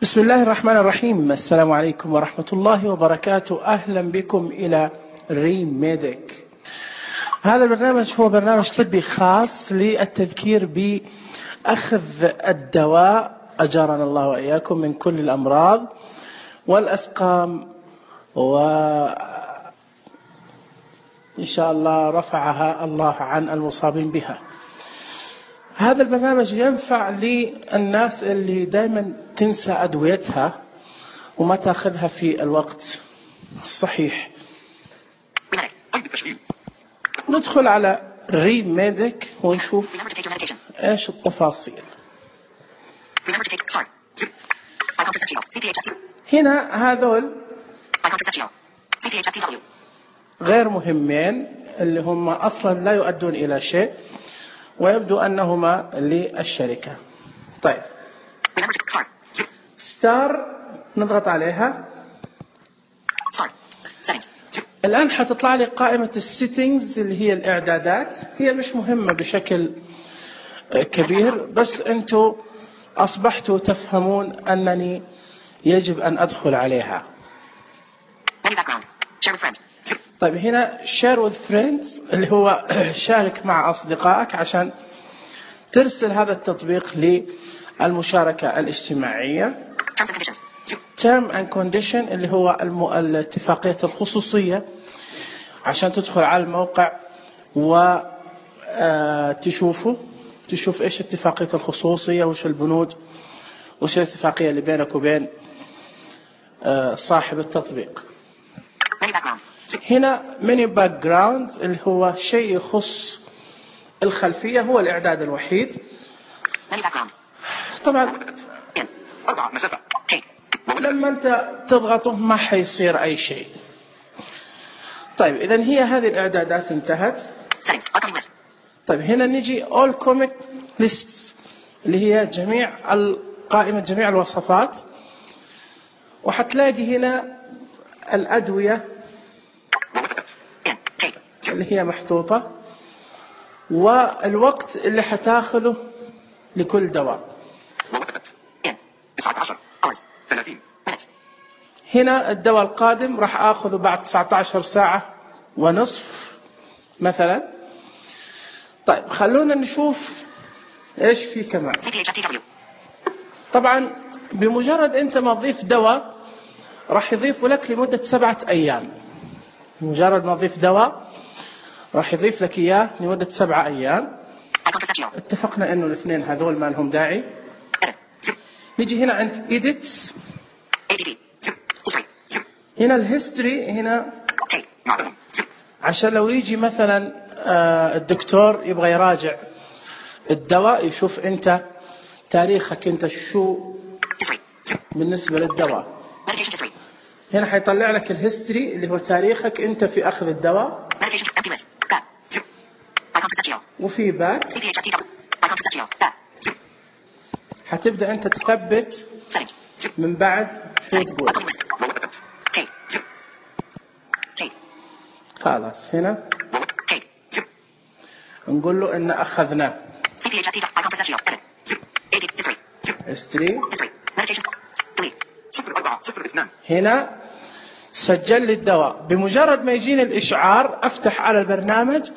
بسم الله الرحمن الرحيم. السلام عليكم ورحمة الله وبركاته. أهلا بكم إلى ريميديك. هذا البرنامج هو برنامج طبي خاص للتذكير بأخذ الدواء أجارنا الله وإياكم من كل الأمراض والأسقام، وإن شاء الله رفعها الله عن المصابين بها. هذا البرنامج ينفع للناس اللي دائما تنسى أدويتها وما تأخذها في الوقت الصحيح. ندخل على ريميديك ونشوف ايش التفاصيل. هنا هذول غير مهمين اللي هم أصلا لا يؤدون إلى شيء ويبدو أنهما للشركة. طيب، ستار نضغط عليها. الآن حتطلع لي قائمة السيتنجز اللي هي الإعدادات. هي مش مهمة بشكل كبير، بس أنتوا أصبحتوا تفهمون أنني يجب أن أدخل عليها. طيب، هنا share with friends اللي هو شارك مع أصدقائك عشان ترسل هذا التطبيق للمشاركة الاجتماعية. term and condition اللي هو الاتفاقية الخصوصية عشان تدخل على الموقع وتشوف إيش اتفاقية الخصوصية، وش البنود، وش الاتفاقية اللي بينك وبين صاحب التطبيق. هنا menu background اللي هو شيء يخص الخلفية، هو الإعداد الوحيد. طبعا لما أنت تضغطه ما حيصير أي شيء. طيب، إذن هي هذه الإعدادات انتهت. طيب، هنا نجي all comic lists اللي هي قائمة جميع الوصفات، وحتلاقي هنا الأدوية اللي هي محطوطة والوقت اللي حتاخذه لكل دواء. هنا الدواء القادم راح آخذه بعد 19 ساعة ونصف مثلا. طيب، خلونا نشوف إيش في كمان. طبعا بمجرد أنت ما تضيف دواء راح يضيف لك لمدة 7 أيام. مجرد ما تضيف دواء راح يضيف لك إياه لمدة 7 أيام. اتفقنا إنه الاثنين هذول ما لهم داعي. نيجي هنا عند edits. هنا الهيستوري هنا عشان لو يجي مثلا الدكتور يبغى يراجع الدواء، يشوف أنت تاريخك أنت شو بالنسبة للدواء. هنا حيطلع لك الهيستوري اللي هو تاريخك أنت في أخذ الدواء، وفي باك حتبدأ أنت تثبت من بعد شو تقول. خلاص، هنا نقول له إن أخذناه history. هنا سجل لي الدواء. بمجرد ما يجيني الإشعار أفتح على البرنامج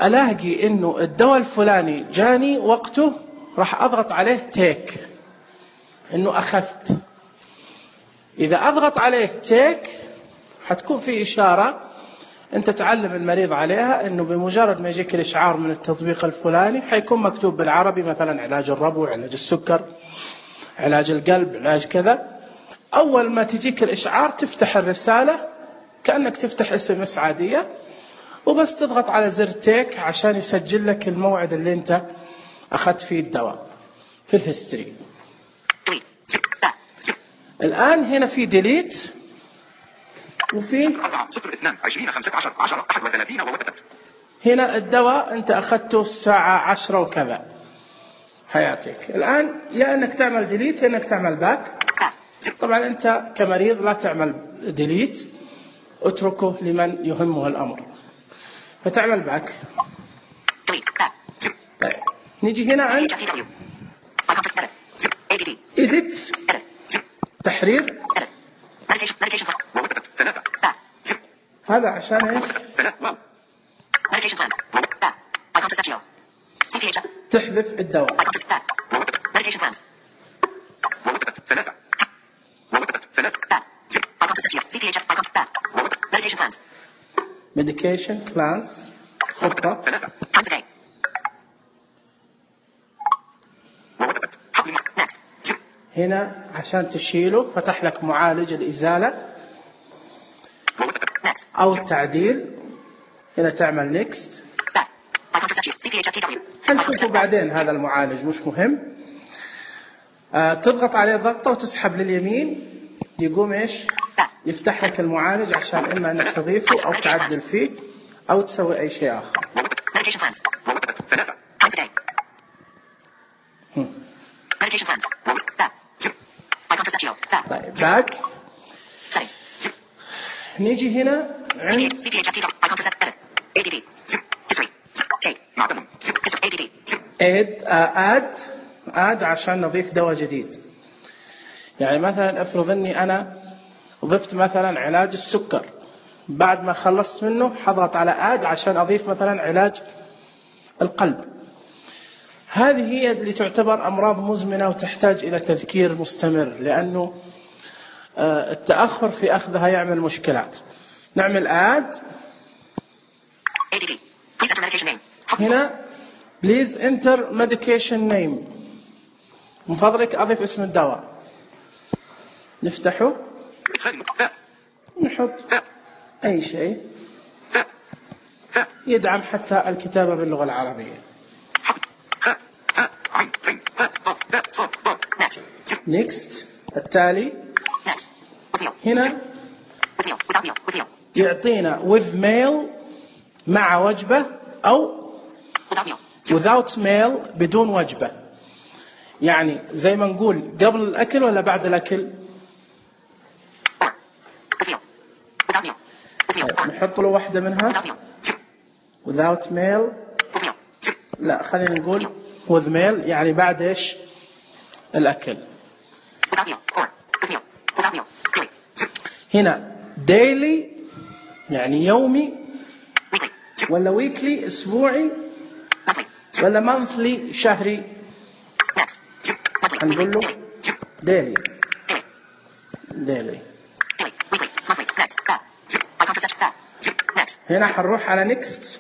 ألاقي إنه الدواء الفلاني جاني وقته، راح أضغط عليه تيك إنه أخذت. إذا أضغط عليه تيك حتكون في إشارة أنت تعلم المريض عليها، إنه بمجرد ما يجيك الإشعار من التطبيق الفلاني حيكون مكتوب بالعربي مثلا علاج الربو، علاج السكر، علاج القلب، علاج كذا. أول ما تجيك الإشعار تفتح الرسالة كأنك تفتح SMS عادية، وبس تضغط على زر تيك عشان يسجل لك الموعد اللي أنت أخذت فيه الدواء في الهيستوري. الآن هنا في ديليت وفي هنا الدواء أنت أخذته الساعة 10 وكذا حيعطيك. الآن يا أنك تعمل ديليت يا أنك تعمل باك. طبعا أنت كمريض لا تعمل ديليت، اتركه لمن يهمه الأمر، فتعمل باك. طيب، نيجي هنا عند edit تحرير. هذا عشان ايش؟ تحذف الدواء. medication plans خطة. هنا عشان تشيله فتح لك معالج الإزالة أو التعديل. هنا تعمل next. حنشوفه بعدين هذا المعالج مش مهم. تضغط عليه ضغطة وتسحب لليمين يقوم إيش؟ يفتح لك المعالج عشان إما أنك تضيفه أو تعدل فيه أو تسوي أي شيء آخر. طيب باك. نيجي هنا عند add عشان نضيف دواء جديد. يعني مثلا افرض اني انا ضفت مثلا علاج السكر، بعد ما خلصت منه حضغط على add عشان اضيف مثلا علاج القلب. هذه هي اللي تعتبر امراض مزمنة وتحتاج الى تذكير مستمر، لانه التأخر في اخذها يعمل مشكلات. نعمل add. هنا please enter medication name. من فضلك أضيف اسم الدواء. نفتحه نحط أي شيء يدعم حتى الكتابة باللغة العربية. next. التالي هنا يعطينا with meal مع وجبة أو without meal بدون وجبة. يعني زي ما نقول قبل الأكل ولا بعد الأكل. نحط له واحدة منها without meal. لا خلينا نقول with meal يعني بعد إيش الأكل. هنا daily يعني يومي ولا weekly أسبوعي ولا monthly شهري. هنقول له daily. هنا حنروح على next.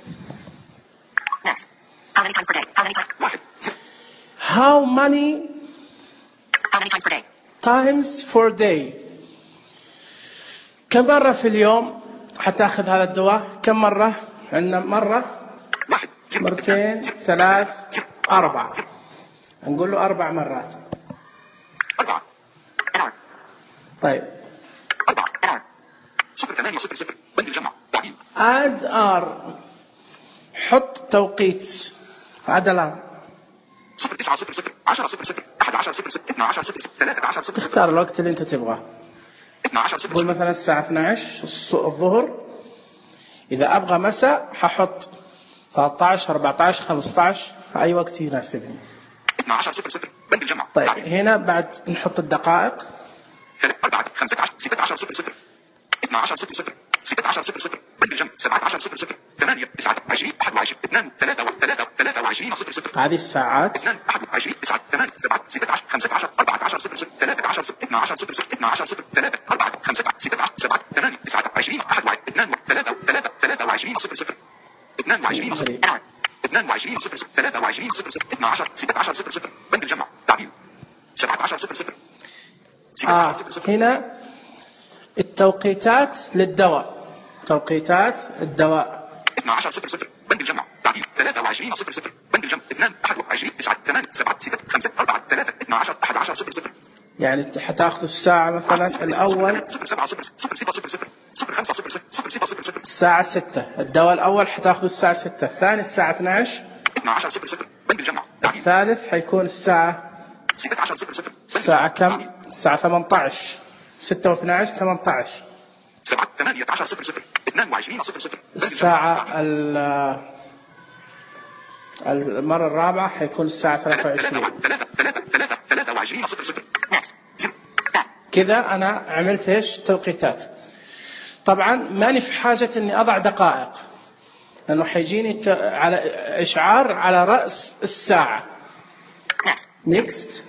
how many times per day. كم مرة في اليوم حتاخذ هذا الدواء؟ كم مرة؟ عندنا مرة، مرتين، ثلاث، 4. نقول له 4 مرات. طيب add r حط توقيت. add alarm. تختار الوقت اللي انت تبغاه. قول مثلا الساعة 12 الظهر. إذا أبغى مساء ححط 13 14 15 أي وقت يناسبني. 12:00 بند الجمع. طيب هنا بعد نحط الدقائق. 4 15 16 00 12:00 16:00 بند الجمع 17:00 8 9 20 21 2 3 23 00. هذه الساعات 2 21 9 8 7 16 15 14 00 13 12 00 12 3 4 5 16 7 8 9 20 21 2 3 23 00 22 00 22 00 23 00 12 16 00 بند الجمع تعديل 17 00. هنا التوقيتات للدواء. توقيتات الدواء 12 00 بند الجمع تعديل 23 00 بند الجمع 2 21 9 8 7 6 5 4 3 12 11 00. يعني حتاخذوا الساعة مثلا الأول الساعة 6. الدواء الأول حتاخذوا الساعة 6. الثاني الساعة 12 بند الجمع. الثالث حيكون الساعة الساعة كم؟ الساعة 18. 6 و12 18. 18 00 22 00 الساعة المرة الرابعة حيكون الساعة 23. كذا أنا عملت إيش توقيتات. طبعا ماني في حاجة إني أضع دقائق، لأنه حيجيني على إشعار على رأس الساعة. نيكست.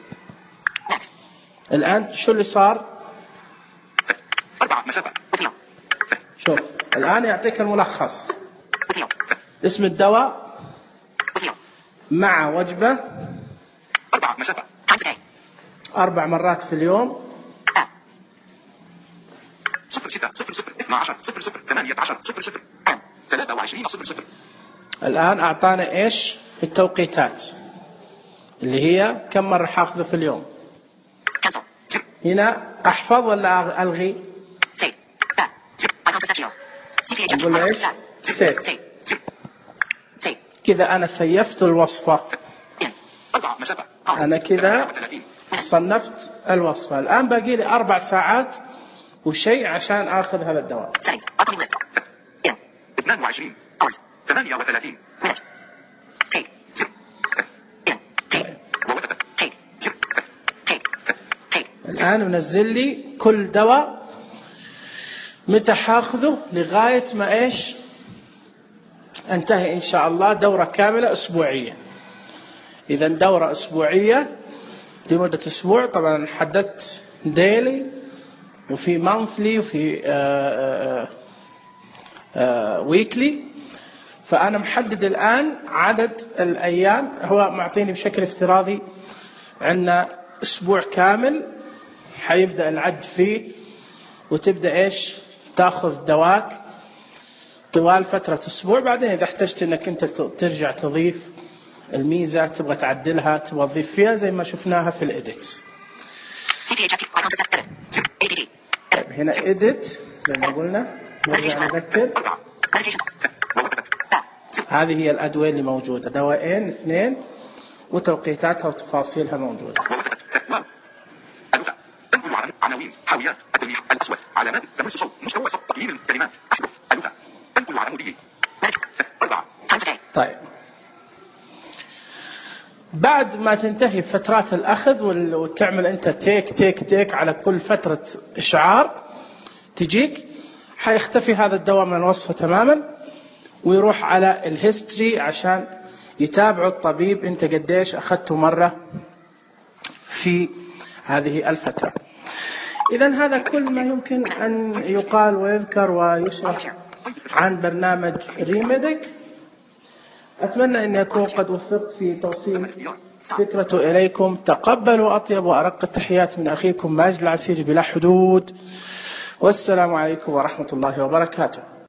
الآن شو اللي صار؟ 4 مسافة. شوف الآن يعطيك الملخص. اسم الدواء مع وجبة 4 مسافة. 4 مرات في اليوم. 06 00 12 00 18 00 23 00. الآن أعطانا إيش التوقيتات اللي هي كم مرة حافظه في اليوم. هنا أحفظ ولا ألغي؟ نقول إيش؟ سيت. كذا أنا سيفت الوصفة. أنا كذا صنفت الوصفة. الآن باقي لي 4 ساعات وشيء عشان آخذ هذا الدواء. 22 38 الآن منزل لي كل دواء متى حاخذه لغاية ما إيش انتهي إن شاء الله دورة كاملة أسبوعية. إذا دورة أسبوعية لمدة أسبوع. طبعا حددت ديلي وفي مانثلي وفي ويكلي. فأنا محدد الآن عدد الأيام. هو معطيني بشكل افتراضي عندنا أسبوع كامل حيبدأ العد فيه، وتبدأ إيش تأخذ دواك طوال فترة أسبوع. بعدين إذا احتجت إنك أنت ترجع تضيف الميزة، تبغى تعدلها، تبغى تضيف فيها زي ما شفناها في الإديت. طيب هنا إديت زي ما قلنا. نرجع نذكر هذه هي الأدوية اللي موجودة، دواءين 2 وتوقيتاتها وتفاصيلها موجودة. عناوين، حاويات، التلميح، الأصوات، علامات، تمس صوت، مستوى صوت، تقييم الكلمات، أحرف، اللغة، تنقل عمودي. 4. طيب بعد ما تنتهي فترات الأخذ وتعمل أنت تيك على كل فترة إشعار تجيك، حيختفي هذا الدواء من الوصفة تماما، ويروح على الهيستوري عشان يتابعوا الطبيب أنت قديش أخذته مرة في هذه الفترة. إذن هذا كل ما يمكن أن يقال ويذكر ويشرح عن برنامج ريميديك. أتمنى أن يكون قد وفقت في توصيل فكرته إليكم. تقبلوا أطيب وأرق التحيات من أخيكم ماجد العسيري بلا حدود، والسلام عليكم ورحمة الله وبركاته.